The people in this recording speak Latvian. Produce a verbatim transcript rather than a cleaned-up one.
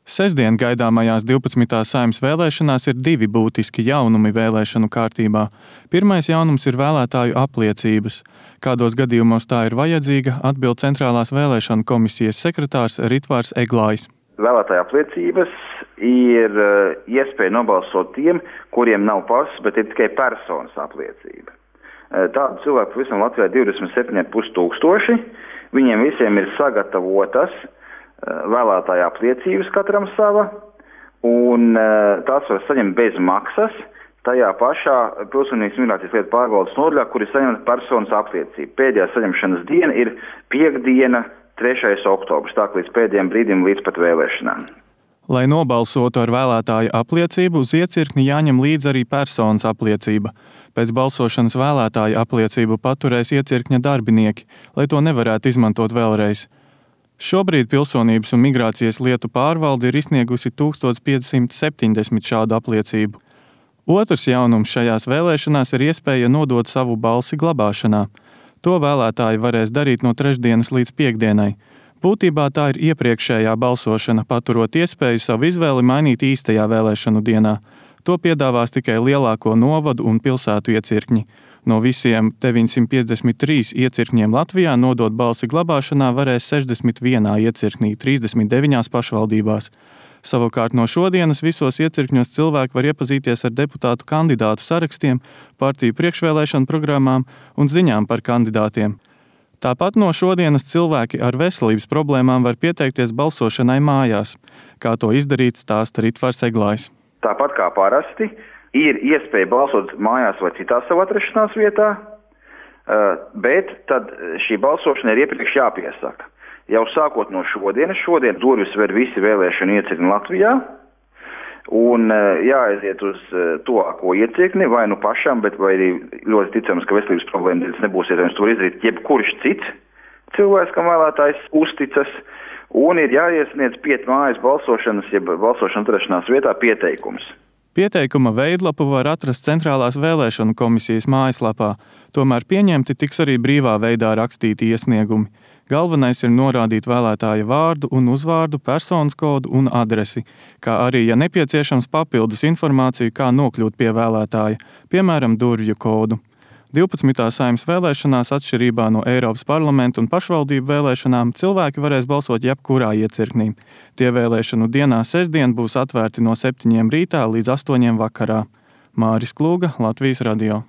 Sestdien gaidāmajās divpadsmitās Saeimas vēlēšanās ir divi būtiski jaunumi vēlēšanu kārtībā. Pirmais jaunums ir vēlētāju apliecības. Kādos gadījumos tā ir vajadzīga, atbild Centrālās vēlēšanu komisijas sekretārs Ritvārs Eglājs. Vēlētāju apliecības ir iespēja nobalsot tiem, kuriem nav pases, bet ir tikai personas apliecība. Tādu cilvēku pavisam Latvijā divdesmit septiņi ar pus tūkstoši. Viņiem visiem ir sagatavotas vēlētāju apliecības katram sava, un tās var saņemt bez maksas tajā pašā Pilsonības migrācijas lietu pārvaldes nodaļā, kur ir saņemta personas apliecība. Pēdējā saņemšanas diena ir piekdiena, trešais oktobris, tā līdz pēdējiem brīdim līdz pat vēlēšanām. Lai nobalsotu ar vēlētāju apliecību, uz iecirkni jāņem līdz arī personas apliecība. Pēc balsošanas vēlētāju apliecību paturēs iecirkņa darbinieki, lai to nevarētu izmantot vēlreiz. Šobrīd Pilsonības un migrācijas lietu pārvalde ir izsniegusi tūkstoš piecsimt septiņdesmit šādu apliecību. Otrs jaunums šajās vēlēšanās ir iespēja nodot savu balsi glabāšanā. To vēlētāji varēs darīt no trešdienas līdz piekdienai. Būtībā tā ir iepriekšējā balsošana, paturot iespēju savu izvēli mainīt īstajā vēlēšanu dienā. To piedāvās tikai lielāko novadu un pilsētu iecirkņi. No visiem deviņsimt piecdesmit trīs iecirkņiem Latvijā nodot balsi glabāšanā varēs sešdesmit vienā iecirknī, trīsdesmit deviņās pašvaldībās. Savukārt no šodienas visos iecirkņos cilvēki var iepazīties ar deputātu kandidātu sarakstiem, partiju priekšvēlēšanu programmām un ziņām par kandidātiem. Tāpat no šodienas cilvēki ar veselības problēmām var pieteikties balsošanai mājās. Kā to izdarīt, stāsta Ritvārs Eglājs. Tāpat kā parasti, ir iespēja balsot mājās vai citā savu atrašanās vietā, bet tad šī balsošana ir iepriekš jāpiesaka. Jau sākot no šodienas, šodien durvis ver visi vēlēšanu iecirkņi Latvijā, un jāaiziet uz tuvāko iecirkni, vai nu pašam, bet vai arī ļoti ticams, ka veselības problēmas nebūs iespējams to izdarīt jebkurš cits cilvēks, kam vēlētājs uzticas, un ir jāiesniedz piet mājas balsošanas, jeb balsošanas atrašanās vietā pieteikums. Pieteikuma veidlapu var atrast Centrālās vēlēšanu komisijas mājaslapā, tomēr pieņemti tiks arī brīvā veidā rakstīti iesniegumi. Galvenais ir norādīt vēlētāja vārdu un uzvārdu, personas kodu un adresi, kā arī, ja nepieciešams, papildus informāciju, kā nokļūt pie vēlētāja, piemēram, durvju kodu. divpadsmitās Saeimas vēlēšanās, atšķirībā no Eiropas parlamenta un pašvaldību vēlēšanām, cilvēki varēs balsot jebkurā iecirknī. Tie vēlēšanu dienā sestdien būs atvērti no septiņiem rītā līdz astoņiem vakarā. Māris Klūga, Latvijas radio.